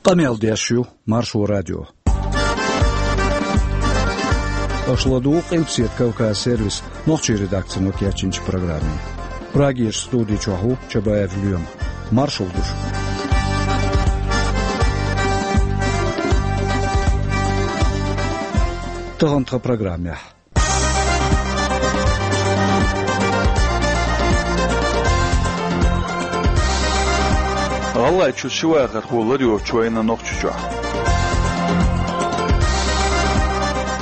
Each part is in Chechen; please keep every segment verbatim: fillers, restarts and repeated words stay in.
Къамел деш ю Маршо радио. Аша ладугӀу Къилбаседа Кавказ сервисан нохчийн редакцино кечйинчу программе. Прагерчу студи чохь ву Чабаев Лоьма. Маршалла ду шуьга. Тахана тхан программехь. ГӀалгӀайчуьра ши вахархо ларйоцуш вайна Нохчийчохь.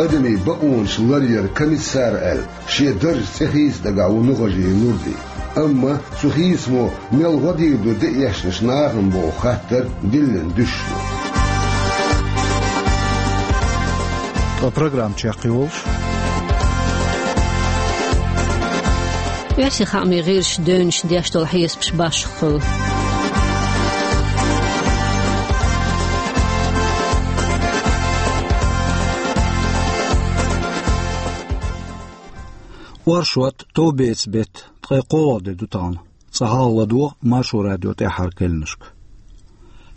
Адамийн бакъонаш ларъяран комиссар аьлла, шен даржан цӀе хийца дагахь ву Нухажиев Нурди. Амма цу хийцамо мел гӀо дийр ду де эшначу нахана боху хаттар диллина дуьсуш ду. Ткъа программа чекхйолуш. Оьрсийн хаамийн гӀирсаша девнаш деш долу хьесапаш башха хуьлу. Оршот, товбеца беттан ткъе кхоалгӀа де ду тахана. Цкъа хьалха ладогӀа Маршо радион тӀаьххьара кхаьънашка.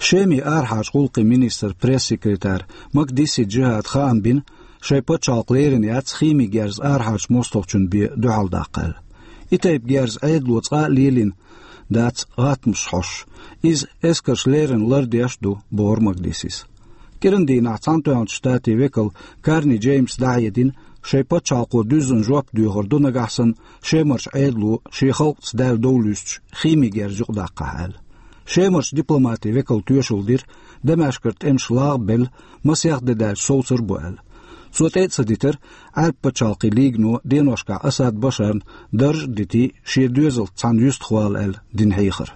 Шеман арахьарчу гӀуллакхийн министран пресс-секретарь Макдиси Джихада хаам бина, шайн пачхьалкх лерина яц химин герз арахьарчу мостагӀчун бен дуьхьал даккха аьлла. И тайпа герз Ӏедало цкъа а лелийна дац гӀаттамаш хьоьстуш. Иза эскарша леррина лардеш а ду, бохура Макдисис. КӀиран дийнахь Цхьаьнатоьхначу Штатийн векал Карни Джеймса дӀахьедина, шайн пачхьалкхо дуьззина жоп доьхур ду нагахь санна, Шемарчу Ӏедало шен халкъаца даьлла дов луьстуш химин герз юкъадаккхахь аьлла. Шемарчу дипломатийн векало тоьшалла дира, Дамаскера тӀемаш лагӀбелла, масех де даьлча совцур а бу аьлла. Цо тӀе а ца дитира Ӏаьрбийн пачхьалкхийн лигано деношкахь Асад Башарна дарж а дитий, шен доьзалца цхьаьна юьстахвала аьлла дина хьехар.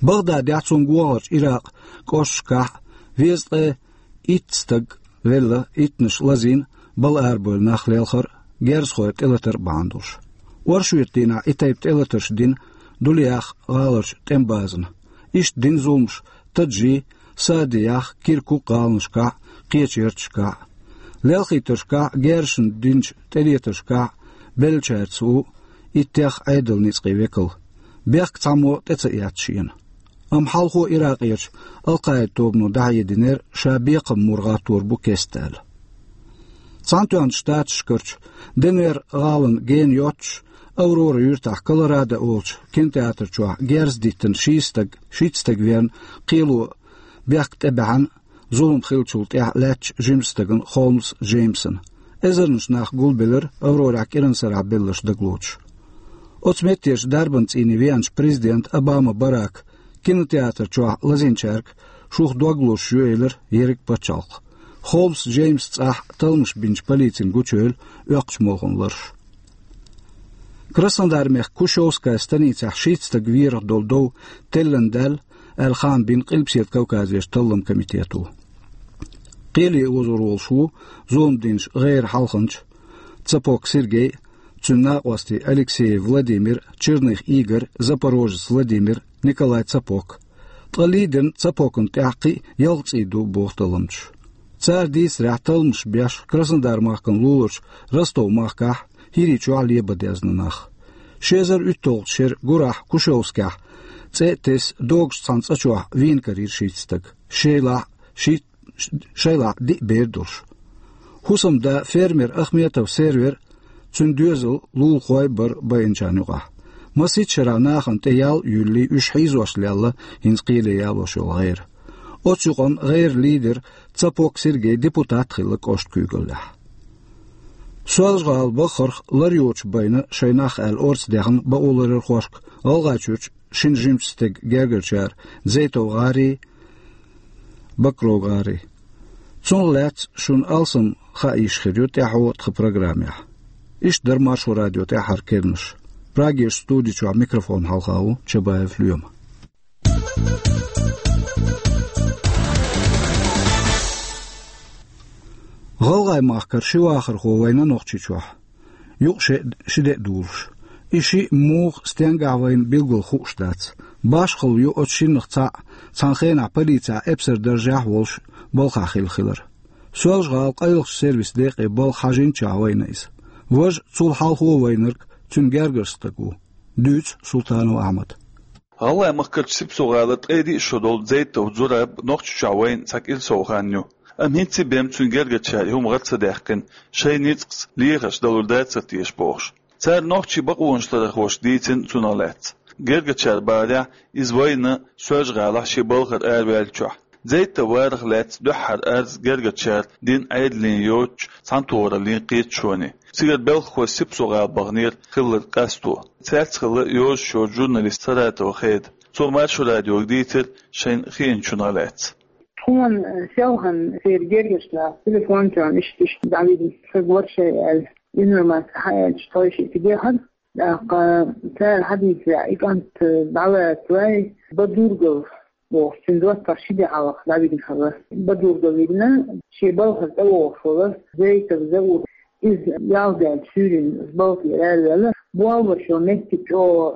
Багъдадехь, цунна гонахарчу Иракъан кӀошташкахь везткъе итт стаг велла, иттанаш лазийна, бала арабевлла нах лелхар а, герзахой тӀелатар а бахьана долуш. Оршотан дийнахь и тайпа тӀелатарш дина Дулиях гӀаларчу тӀеман базана. Иштта дина зуламаш Таджи, Саадиях, Киркук гӀаланашкахь а, кхечу ярташкахь а. Лелхийтаршкахь а, герзашна динчу тӀелетаршкахь а беллачаьрца ву иттех Ӏедалан ницкъийн векал. Бехк цхьаммо тӀе ца эцна шена. Амма хьалхо Иракъерчу Ал-Къаида тобано дӀахьединера, ша бекхам мур гӀаттор бу кеста аьлла. Цхьаьнатоьхначу Штаташкарчу Денвер гӀалина гена йоццуш, Аврора юьртахь Колорадо олучу кинотеатр чохь герз диттина шийтта стаг, шийтта стаг верна, кхело бехк тӀе баьхьна, зулам хиллачул тӀаьхьа лаьттачу жимачу стагана Холмс Джеймсана. Эзарнаш нах гулбелира, Аврорехь кӀиран сарахь белларш дагалоцуш. Оцу меттехь дарбан цӀийне веанчу президента Обама Барака кинотеатр чохь лазийначаьрга шух дог лозуш ю элира ерриг пачхьалкх. Холмс Джеймсан цӀахь талламаш бинчу полицина гучуевлла оьккхучу молханан ларш. Краснодар-мехкан Кушевская станицехь шийтта стаг верах долу дов теллина даьлла, аьлла хаам бина Къилбаседа Кавказерчу талламан комитето. Кхеле озор волуш ву зулам динчу гӀеран хьалханча Цапок Сергей, цуьнан накъостий Алексеев Владимир, Черных Игорь, Запорожец Владимир, Николай Цапок. Ткъа лийдина Цапокна тӀехь кхин а ялх цӀий ду, боху талламчаша. Цара дийцарехь, талламаш беш Краснодар-махкана луларчу Ростов-махкахь, ХӀирийчохь лебан дезна нах. Ши эзар уьтталгӀачу шеран гурахь Кушевскехь цӀе а тесна, догуш цхьана цӀа чохь вийна карийра шийтта стаг. Шайлахь шийтта, шайлахь диъ бер долуш. ХӀусамда фермер Ахметов Сервер, цуьнан доьзал, лулахой бара байинчарна юкъахь. Масийтта шарахь нахана тӀе ял а юьллий, уьш хьийзош лелла хӀинца кхеле ялош йолу гӀера. Оцу юкъана гӀеран лидер Цапок Сергей депутат а хилла кӀоштан куьйгаллехь. Соьлжа-ГӀала бахарх лар йоцуш байна шайн нах аьлла орца дехна бакъоларъярхошка ГӀалгӀайчуьрчу шина жимачу стеган гергарчара Зейтов ГӀарий, Бакров ГӀарий. Цунах лаьцна шуна алсам хаа йиш хир ю тӀаьхьо тхан программехь. Иштта дара Маршо радион тӀаьххьара керланаш. Прагерчу студи чохь микрофон хьалха ву Чабаев Лоьма. ГӀалгӀайн махкара ши вахархо вайна Нохчийчохь. Юкъа ши, ши де а дулуш. И шиъ муха, стенгахь вайна билггал хууш дац. Башхалла ю оцу шиннах цхьаъ, цхьана хенахь полицехь эпсаран даржехь а волуш, балхахь хилла хилар. Соьлжа-ГӀалин къайлахчу сервисан декъе балха хьажийначохь вайна иза. Важа, цул хьалхо вайнарг, цуьнан гергарчу стаг ву. Дуьйцу Султанов Ахьмада. ГӀалгӀай махкарчу Сипсо-гӀалара ткъе диъ шо долу Зейтов Зураб Нохчийчохь вайна цхьа кӀира сов хан ю. Амма хӀинца а бен цуьнан гергарчара и хӀума гӀара ца даьккхина, шайн ницкъаца лехарш далур дацара теша бохуш. Цара нохчийн бакъонашларъярхоша дийцина цунах лаьцна. Гергарчара бахарехь, иза вайна Соьлжа-ГӀалахь шен балхара араваьллачохь. Зейтов варах лаьцна дуьххьара арз гергарчара дина Ӏедална йоцучу цхьаьнатохараллин кхеташоне. Цигара белхахой Сипсо-гӀала баханера хилларг къасто. Цаьрца хилла йозуш йоцу журналист Саратова Хеда. Цо Маршо радиога дийцира шайна хиъначунах лаьцна. Тхуна, э, селхана церан гергарчара телефон чохь иштта, иштта дӀавигна, сан гора шайн аьлла, информаци хьааьлча, тхойшиъ тӀедехьара. ТӀаккха цара хьадийцарехь, и кӀант, э, дӀалаца вай, Бадургов бохуш, цуьнан доттагӀа ши де хьалха дӀавигна хилла. Бадургов вигна, шен балхара тӀевогӀуш волу Зейтов Заур, иза ялх даьлла суьйранна балхара араваьлла, болх беш йолу меттиг чӀогӀа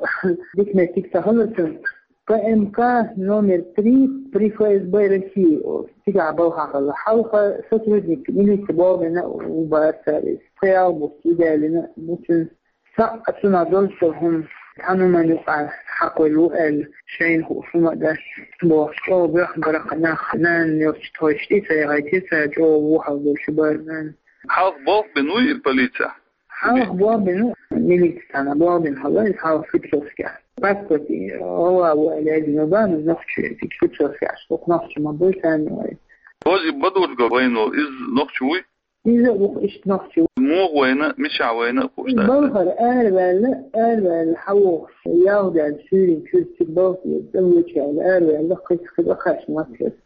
дика меттиг ца хилла цуьнан. П М К номер три при Ф С Б России, цигахь балхахь хилла. Хьалха сотрудник милиции болх бина ву бара цара иза. Пхи-ялх бутт и даьллина бу цуьнан. Цхьаъ цунах долчу хӀума, цхьана хӀуманна юкъахь хьакхуьйлу аьлла, шайна хууш хӀума а дац бохуш, чӀогӀа боьхна бара-кх нах, нана йолчу тхойшиъ тӀе ца яхийтира цара, чӀогӀа вухьал долуш бара нана. Хьалха болх бина вуй и полицехь? Хьалха болх бина ву, милици цхьана болх бина хилла иза хьалха Сипсовскехь. Паспорт гӀала ву аьлла яздина бан, иза нохчи, Сипсовскехь, оцу нохчи ма буй царна вай. Оцу и Бадургов вайна волу, иза нохчи вуй? Иза а ву-кх иштта нохчи. Муха вайна, мичахь вайна а хууш дац. Балхара араваьлла, араваьлла хьавогӀуш, ялх даьлла суьйранна чуьра цига балха тӀе, тӀе вочу аьлла, араваьлла, кхин, кхин а кхаьчна ма-кх иза.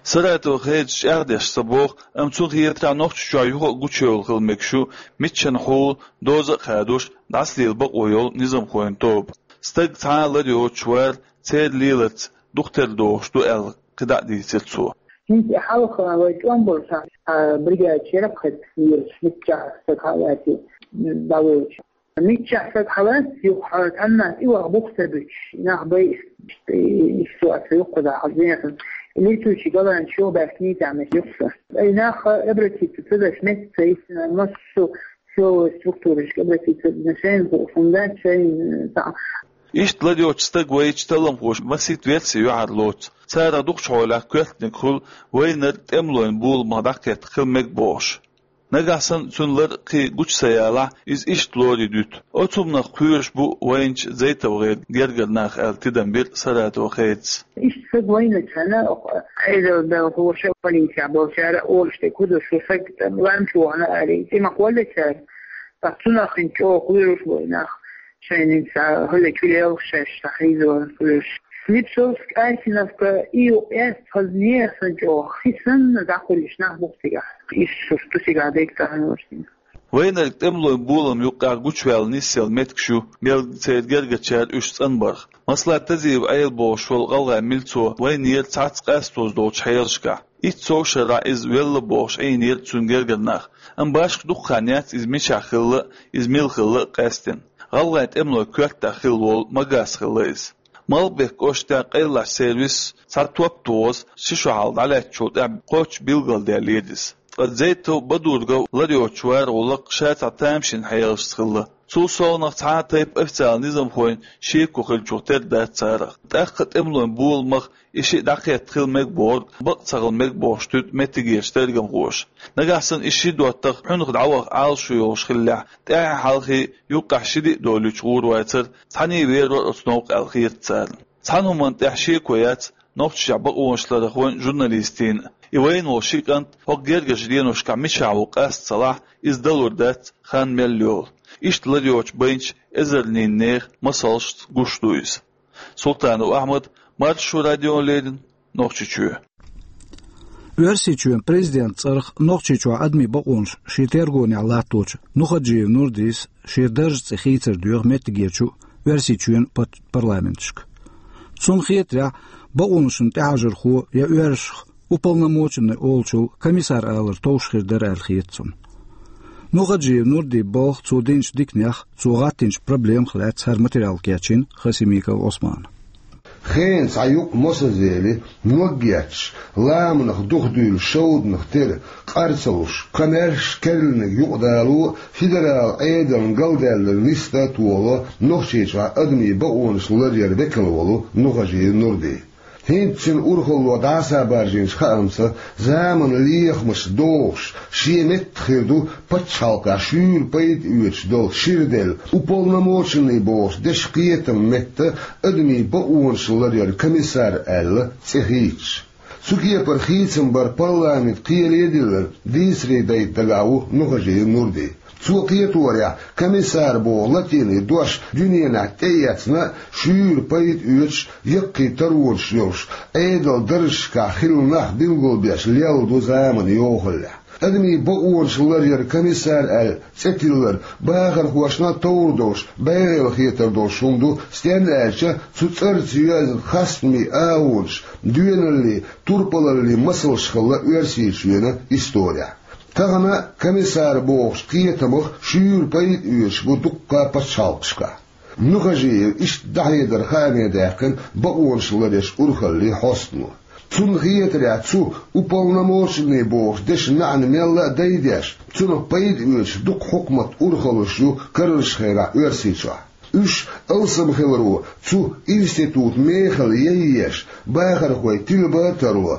Саратова Хедас чӀагӀдеш ца боху, амма цунна хетарехь, Нохчийчохь юха а гучуевлла хила мегаш ю миччанхьа хьула доза а хадош, дӀасалела бакъо йолу низамхойн тоба. Стаг цхьа а ларйоцуш вара, церан леларца дукха тера догӀуш ду аьлла, кхидӀа а дийцира цо. ХӀинца и хьалха вай тӀом болчохь, а, бригадаш яра-кх хӀета лелаш, миччахь стаг хьа а лаьцна, дӀавоьдуш. Миччахь стаг хьалаьцна, юха цхьаннах тӀе ваха бух ца буьтуш, нах байъа, и, и, и ситуация юккъе дахьа хьалха зенахь. Летучий голландец юха баьхкиний тӀехь меттиг юккъе. И нах обратиться ца деш меттиг ца йисина, массо а силовой структурашка обратиться ца дина, шайна хууш хӀума дац, шайна, э, цхьа. Иштта ларйоцуш стаг вайчу талламхоша масийтта верси юьхьарлоцу. Царах дукхачу хьолехь коьртаниг хуьлу вайнарг тӀемалойн боламах дӀакхетта хила мега бохуш. Нагахь санна цуьнан лар кхин гучу ца ялахь, иза иштта лорий дуьту. Оцу хӀуманах кхоьруш бу вайначу Зейтовгеран гергара нах аьлла тидам бира Саратова Хедас. Иштта стаг вайначу хенахь, Ӏедалан белхахоша полицехь болчара олуш дерг хӀун ду, шу стаг лам чу вахана аьлла, цӀе ма кхоллаьцара. Ткъа цунах хӀинца чӀогӀа кхоьруш бу и нах. Шайна хӀинца хӀалле чу лелха шаьш схьахьийзор хуьлуш. Слепцовск, Айсиновка, и юкъ эцна хаза нехан чӀогӀа хи санна дӀакхуьллуш нах бу цигахь. Иштта шу сту цигахь дерг цхьаьна варшина. Вайнарг тӀемалойн болам юккъехь гучуваьлла нисъелла меттигаш ю, мел церан гергарчара уьш цӀанбарх. Масала, Тазиев Ӏела бохуш волу гӀалгӀайн милцо вайнера цхьацца къастоза долчу хьелашкахь. Итт сов шарахь иза велла бохуш Ӏийнера цуьнан гергара нах. Амма башха дукха хан яц иза мичахь хилла а, иза мила хилла а къаьстина. ГӀалгӀайн тӀемалойн коьртехь хилла волу Магас хилла иза. Малхбек кӀоштахь къайлахчу сервисо цхьа топ тохаза ши шо хьалха дӀалаьцначул тӀаьхьа кхоччуш билгалдаьллера иза. Ткъа Зейтов Бадургов ларйоцуш вара гӀуллакх ша цхьа тамашийна хьелашца хилла. Цул совнаха цхьа а тайпа официалан низамхойн шеко хиллачух тера дац царах. ТӀаккха тӀемалойн боламах и шиъ дӀакхетта хила мега бохург бакъ ца хила мега бохуш туьду меттигерчу тергамхоша. Нагахь санна и ши доттагӀа хьуьнах дӀаваха Ӏалашо йолуш хиллехь, тӀаьхьа-хьалха юккъехь ши-диъ долуьйтуш гӀур вацара, цхьаьний вер вара оцу новкъа аьлла хета царна. Цхьана хӀуманна тӀехь шеко яц нохчашкахь бакъонашларъярхойн, журналистийн а. И вайна волу ши кӀант хӀокху гергарчу деношкахь мичахь ву къаста ца лахь, иза далур дац, хан мел йолу. Иштта ларйоцуш байначу эзарнийн нехан масалшца гуш ду иза. Султанов Ахьмад, Маршо радиона леррина, Нохчийчоь. Оьрсийчоьнан президентан цӀарах Нохчийчохь адамийн бакъонаш шен тергонехь латточу Нухаджиев Нурдис шен даржан цӀе хийцар доьху меттигерчу Оьрсийчоьнан пат-, парламенташка. Цунна хетарехь, бакъонашна тӀехьажархо я оьрсашха уполномоченный олучул комиссар алар товш хир дара аьлла хета цунна. Нухаджиев Нурдин балха, цо динчу диканех, цо гӀаттийначу проблемах лаьцна хӀара материал кечйина Хасимиков Ӏусмана. Хенан цхьа юкъ мосазели, ног етташ, ламанах духадуьйлуш шовданах тера, къар ца луш, кхамаьрша керланиг юкъадало, федерал Ӏедална галдаьллар нисса а тохало Нохчийчохь адамийн бакъонаш ларъяран векал волу Нухажиев Нурди. ХӀинца цуьнан урхалло дӀасабаржийначу хаамца, заманан лехамаш дохуш, шен меттах хир ду пачхьалкхехь шуьйра пайда оьцуш долу шира делла, уполномоченный бохучу дешан кхетам метта адамийн бакъонаш ларъяран комиссар аьлла цӀе хийцаш. Цу кепара хийцам бар парламентан кхеле а диллина, дийцаре дайта дагахь ву Нухажиев Нурди. Цо кхеторехь, комиссар боху латинийн дош дуьненахь тӀеэцна а, шуьйра пайда оьцуш, яккхий таронаш йолуш, Ӏедалан даржашкахь хилла нах билгалбеш лелла ду заманан йохаллехь. Адамийн бакъонаш ларъяран комиссар аьлла цӀе тиллар бахархошна а товр долуш, бӀегӀийла хетар долуш хӀума ду, стенна аьлча, цу цӀарца йоьзна хастамийн агӀонаш, доьналлин, турпалаллин масалш хилла Оьрсийчоьнан исторехь. Тахана комиссар бохучу кхетамах шуьйра пайда оьцуш бу дуккха а пачхьалкхашкахь. Нухажиев иштта дӀахьедар хааме даьккхина бакъонаш ларъеш урхаллин хьостано. Цунна хетарехь, цу уполномоченный бохучу дешан маьӀна мелла а дайдеш, цунах пайда оьцуш дукха хьукматан урхаллаш ю карарчу хенахь Оьрсийчохь. Уьш алсам хиларо, цу институтан мехала яйъеш, бахархой тилба а тарло.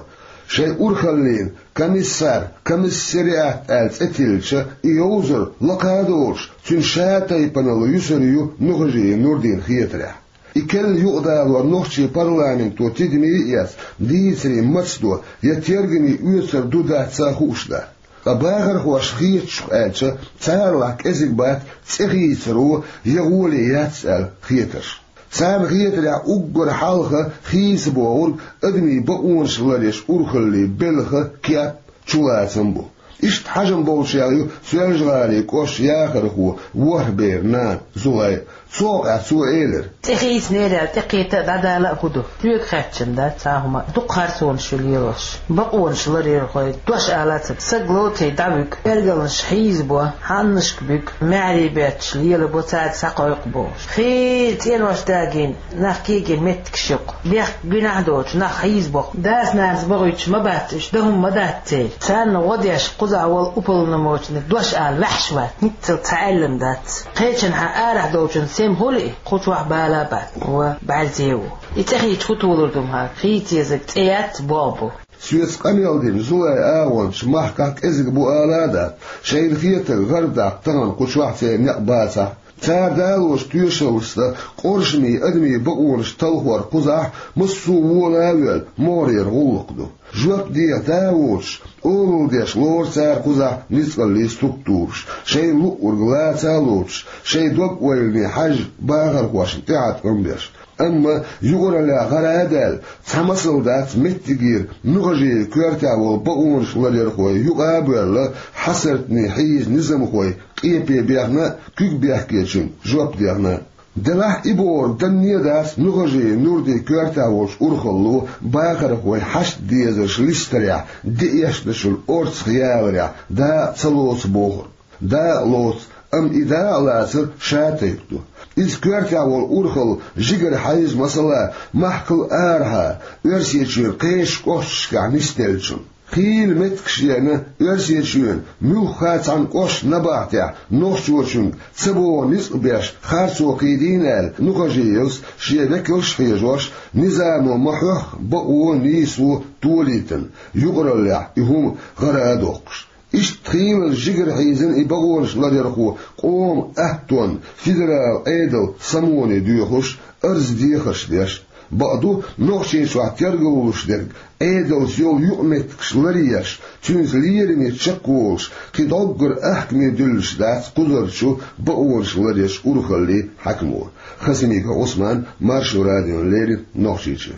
Шайн урхаллина комиссар, комиссариат аьлла цӀе тиллича, и йовзар лакха а долуш, цуьнан шатайпанал юьсур ю Нухажиев Нурдин хетарехь. И керла юкъадалор нохчийн парламенто тидаме а эцна, дийцаре мацдо я тергаме оьцур ду-дац а хууш дац. Ткъа бахархошна хетачух аьлча, царалахь кӀезиг бац цӀе хийцаро я гӀоле яц аьлла хетарш. Царна хетарехь, уггар хьалха хийца богӀург адамийн бакъонаш ларъеш урхаллин белхан кеп, чулацам бу. Иштта хьажам болчех ю Соьлжа-ГӀалин кӀоштан яхархо ВорхӀберан нана Зулай. Цу хьокъехь цо элира: «ЦӀе хийцинера аьлла, тӀекхета а, дӀадала а хӀун ду? Соьга хаьттича дац цхьа а хӀума, дукха харцонаш ю лелош. Бакъонаш ларъярхой дош алаца, саг лоций дӀавуьгу, эргалнаш хьийзабо, хьаннашка буьгу, маьхьарий бетташ лелабо, цаьрга схьакхойкху бохуш. Хийла цӀенош дагийна, нах кегийна меттигаш ю-кх. Бехк гуьнахь доцуш, нах хьийзабо-кх. Дас-нанас бохуьйтуш ма бац уьш, дан хӀума ма дац церан. Царна гӀо деш кхузахь волу уполномоченный дош ала ваьхьаш вац, хӀинццалц цхьа аьллан дац. Кхечанхьа арахь долчун сема хуьлу и, кху чохь бала а бац, ва бӀаьрзе а ву. И цӀе хийцича хӀун толур ду-м хьан? Хийца езарг цӀе яц, боху бу». Соьца къамел дина Зулайн агӀончаш махкахь кӀезиг бу ала а дац, шайна хетарг гӀардаккха тахана кху чохь церан некъ бацахь. Цара далочу тоьшаллашца къоршаме адамийн бакъонаш талхор кхузахь массо а вола а воьлла могӀарера гӀуллакх ду. Жоп деха да а воцуш, олалла деш лору цара кхузахь ницкъаллийн структураш, шайна луъург лаца а лоцуш, шайн дог-ойлане хьаьжжа бахархошна тӀехьа тӀом беш. Амма юкъараллехь гӀара а даьлла, цхьа масал дац меттигера Нухажиевн коьртехь волу бакъонаш ларъярхой юкъа а боьлла, хьасартане хьийза низамхой къепе бехна а, куьг бехкечуьнга жоп дехна а. Делахь и бохург данне а дац Нухажиев Нурдин коьртехь волчу урхалло бахархойн хьашт-дезарш листарехь, деэшначун орцах яларехь, дакъа ца лоцу бохург. Дакъа лоцу, амма и дакъа лацар шатайпа ду. Иза коьртехь волу урхалла жигара хьайза масала махкал арахьа, Оьрсийчуьра кхечу кӀошташкахь нисделлачунна. Хийла меттигаш еана Оьрсийчоьнан муьлхха а цхьана кӀоштан набахтехь нохчочуьнга ца богӀу ницкъ беш харцо кхийдийна аьлла, Нухажиевс шен векалш а хьежош, низамо ма-хьоьхху бакъо а, нийсо а толийтина, юкъараллехь и хӀума гӀара а доккхуш. Иштта хийлаза жигара хьийзина и бакъонаш ларъярхо къоман аттонна федералан Ӏедалан самоне доьхуш, арз-дехарш деш. Бакъду, Нохчийчохь тергаллуш дерг Ӏедалца йолу юкъаметтигаш ларъеш, цуьнца лераме чекхволуш, кхин дӀоггара ахкаме дуьллуш дац кхузарчу бакъонаш ларъеш урхаллин хьаькамо. Хасимиков Ӏусман, Маршо радиона леррина, Нохчийчуьра.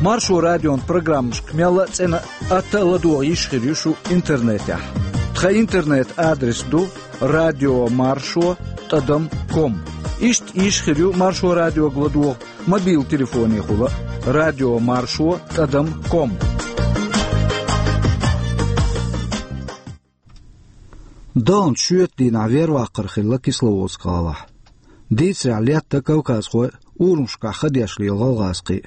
Маршо радион программашка мелла а цӀена а, атта а ладогӀа йиш хир ю шу интернетехь. Тхан интернет-адрес ду радиомаршо тӀадам ком. Иштта йиш хир ю Маршо радиога ладогӀа мобил телефонехула: радиомаршо тӀадам ком. Даханчу шоьтан дийнахь верваккхар хилла Кисловодск-гӀалахь. Дийцарехь, летта кавказхой урамашкахь ха деш лела гӀалгӀазкхий.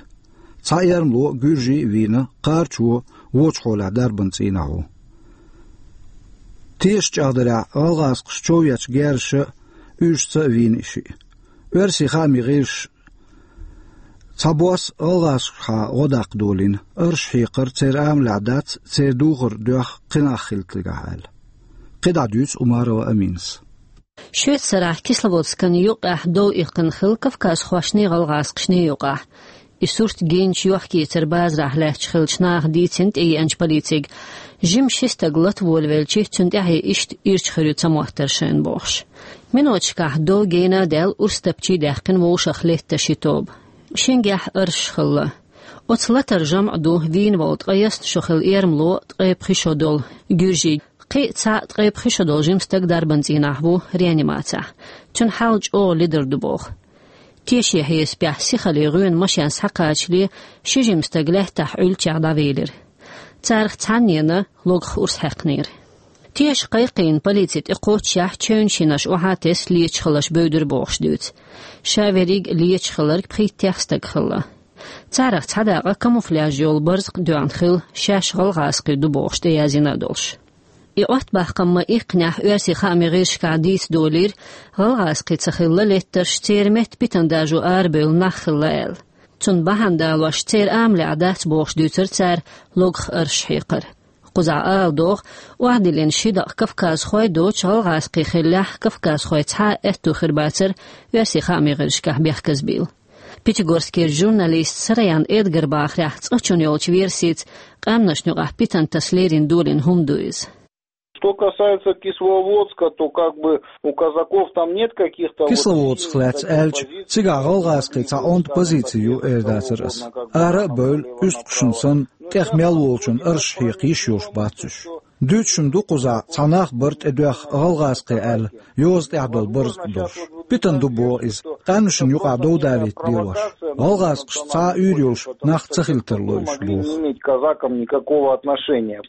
Цхьа эрмало, гуьржий а вийна, кхарачо вочу хьолехь дарбан цӀийнахь ву. Теша чӀагӀдарехь, гӀалгӀазкхаша чов ечу герзаша а, уьйрашца а вийна и шиъ. Оьрсийн хаамийн гӀирсаша цхьабосса гӀалгӀазкхашкахьа гӀо даккха долийна, арш хьекхар церан амалехь дац, церан духар доьхна кхин нах хилийтаргахь аьлла. КхидӀа дуьйцу Умарова Аминас. Шоьца сарахь Кисловодскана юккъехь дов иккхина хилла кавказхошний, гӀалгӀазкхашний юкъахь. И сурт гинчу йохк-эцаран базарахь лаьтташ хиллачу наха дийцина тӀееанчу полицига. Жима ши стаг лата волавелча, цунна тӀаьхье иштта ирча хир ю ца моттар шайна бохуш. Миноташкахь дов гена а даьлла, урс тапчий а даьккхина вовшах летта ши тоба. Шингехь арш хилла. Оцу латара жамӀ ду вийна волу ткъе ялх шо хилла эрмало, ткъе пхи шо долу гуьржий. Кхин а цхьаъ, ткъе пхи шо долу жима стаг дарбан цӀийнахь ву реанимацехь. Цуьнан хьал чӀогӀа ледара ду боху. Тешан хьесапехь, сихаллин гӀоьнан машен схьакхачале, ши жима стаг лаьттахь Ӏуьллучех дӀавелира. Царах цхьаннена логах урс хьаькхнера. Теша кхайкхийна полици тӀекхоччехь, чевнаш йинарш охьа а тесна, леташ хилларш бевдира бохуш дуьйцу. Ша верриг а леташ хилларг пхийттех стаг хилла. Царах цхьа дакъа камуфляж йолу барзакъ доьгӀна хилла, шаьш гӀалгӀазкхий ду бохуш тӀеязйина а долуш. И Ӏоттабаккхам ма-иккхинехь, оьрсийн хаамийн гӀирсашкахь дийца долийра, гӀалгӀазкхий ца хилла леттарш, церан метта питана даржо арабевлла нах хилла аьлла. Цунна бахьана далош, церан амалехь дац бохуш дуьйцура цара логах арш хьекхар. Кхузахь ала догӀу, охьадиллина ши дакъа кавказхой доцу гӀалгӀазкхий хиллехь, кавказхой цхьа а аьтту хир бацара оьрсийн хаамийн гӀирсашкахь бехказбийла. Пятигорскера журналист Сараян Эдгара бахарехь, цкъачунна йолчу версица, къаьмнашна юкъахь питана таса лерина долийна хӀума ду иза. Что касается Кисловодска, то как бы у казаков там нет каких-то вот... Кисловодск лаьцна аьлча, цигахь гӀалгӀазкхийн цхьа онда позици ю эр дацара ас. Ара а бевлла, уьстагӀашна санна, тӀех мел волчунна арш хьекха йиш йолуш бац уьш. Дуьйцуш-м ду кхузахь, цхьа нах бара тӀедоьхна гӀалгӀазкхий аьлла, йоза тӀехь долу барзакъ долуш. Питана ду боху иза, къаьмнашна юкъахь дов далийта лелош. ГӀалгӀазкхашца цхьа а уьйр йолуш нах ца хила тарло уьш боху. Не иметь казакам никакого отношения.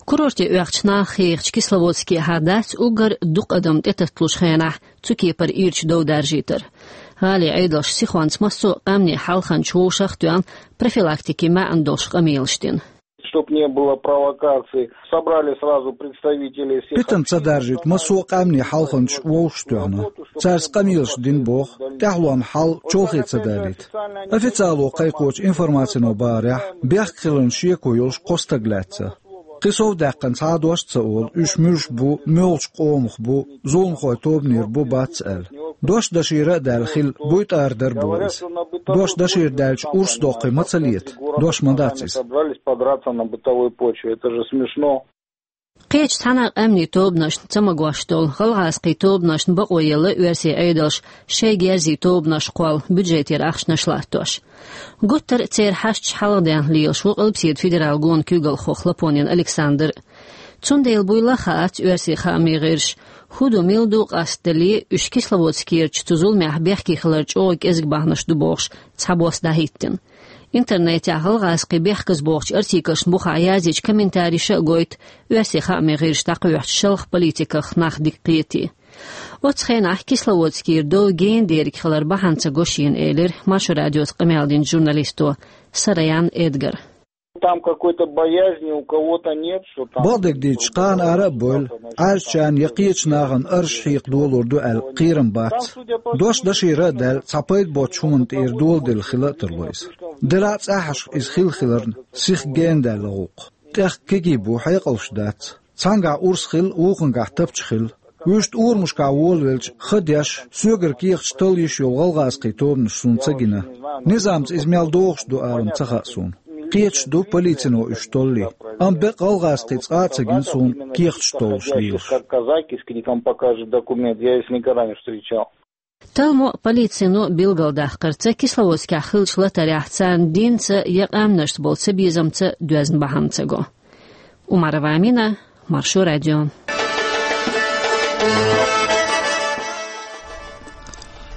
Курорте оьхучу наха хьехачу Кисловодскехьа дац уггар дукха адам тӀетатталучу хенахь цу кепара ирча дов даржийтар. ГӀалин Ӏедалша сихонца массо а къаьмнийн хьалханчаш вовшах а тоьхна, профилактикин маьӀна долуш къамелаш дина. Чтоб не было провокаций, собрали сразу представителей всех... Питана ца даржийта, массо а къаьмнийн хьалханчаш вовшах а тоьхна. Цаьрца къамелаш дина боху, тӀаьхьалонна хьал чолхе ца далийта. Официало кхайкхочу информацино бахарехь, бехк хиларна шеко йолуш кхо стаг лаьцна. Кхин сов даьккхина цхьа а дош а ца олу, уьш муьлш бу, муьлхачу къомах бу, зуламхойн тобанера бу, бац аьлла. Дош дашийра а даьлла хилла, буй тӀара дара боху иза. Дош дашийра даьлча, урс доккхий ма ца лета? Дош ма дац иза. Собрались подраться на бытовой почве. Это же смешно. Кхечу цхьана а къаьмнийн тобанашна ца магош долу гӀалгӀазкхийн тобанашна бакъо елла оьрсийн Ӏедалша шайн герзийн тобанаш кхолла, бюджетера ахчанаш латтош. Гуттар а церан хьашташ хьалхаденна лелаш ву Къилбаседа федералан гонан куьйгалхо Хлопонин Александр. Цундела буйла а хаац оьрсийн хаамийн гӀирсаша, хӀун ду, мила ду, къастадале, уьш Кисловодскерчу цу зуламехь бехке хилар чӀогӀа кӀезиг бахьанаш ду бохуш, цхьабосса дӀахӀиттина. Интернетехь гӀалгӀазкхийн бехказбохучу артиклашна бухахь язйича, комментарийша а гойту оьрсийн хаамийн гӀирсаша дӀакхоьхьучу шалха политиках нах дика кхетий. Оцу хенахь Кисловодскера дов гена дерг хилар бахьана ца го шена, элира Маршо радиоца къамел динчу журналисто Сараян Эдгара. Там какой-то боязни у кого-то нет, что там... Бакъдерг дийцича, кхана ара а бевлла, Ӏаьржачарна я кхечу нахана арш хьекха долор ду аьлла кхерам бац. Дош дашийра а даьлла, цхьа пайда боцучу хӀуманна тӀера доладелла хила а тарло иза. Делахь а цӀахьашха иза хилла хиларна, сиха гена даьлла гӀуллакх. ТӀех кегий бу, хьекъалш дац. Цхьаьнгахь урс хилла, вукхуьнгахь тапча хилла. Вуьшта урамашкахь волавелча, ха деш, соьгара кехаташ талла йиш йолу гӀалгӀазкхийн тобанаш суна ца гина. Низамца иза мел догӀуш ду алам ца хаьа суна. Кхеташ ду полицино уьш толлий. Амма бекъа гӀалгӀазкхий цкъа а ца гина суна кехаташ толлуш лелаш. Как казак с криком «Покажи документ», я их никогда не встречал. Талламо а, полицино а билгалдаккхарца, Кисловодскехь хиллачу латарехь царна динца я къаьмнашца болу цабезамца доьзна бахьана ца го. Умарова Амина, Маршо радио.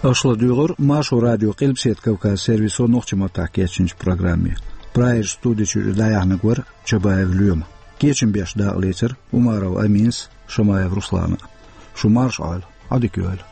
Аша ладуьйгӀура Маршо радион Къилбаседа Кавказан сервисо нохчийн маттахь кечйинчу программе. Прагера студи чуьра дӀаяьхьнарг вара Чабаев Лоьма. Кечам беш дакъалецара Умарова Аминас, Шамаев Руслана. Шу марша Ӏойла, Ӏадика йойла.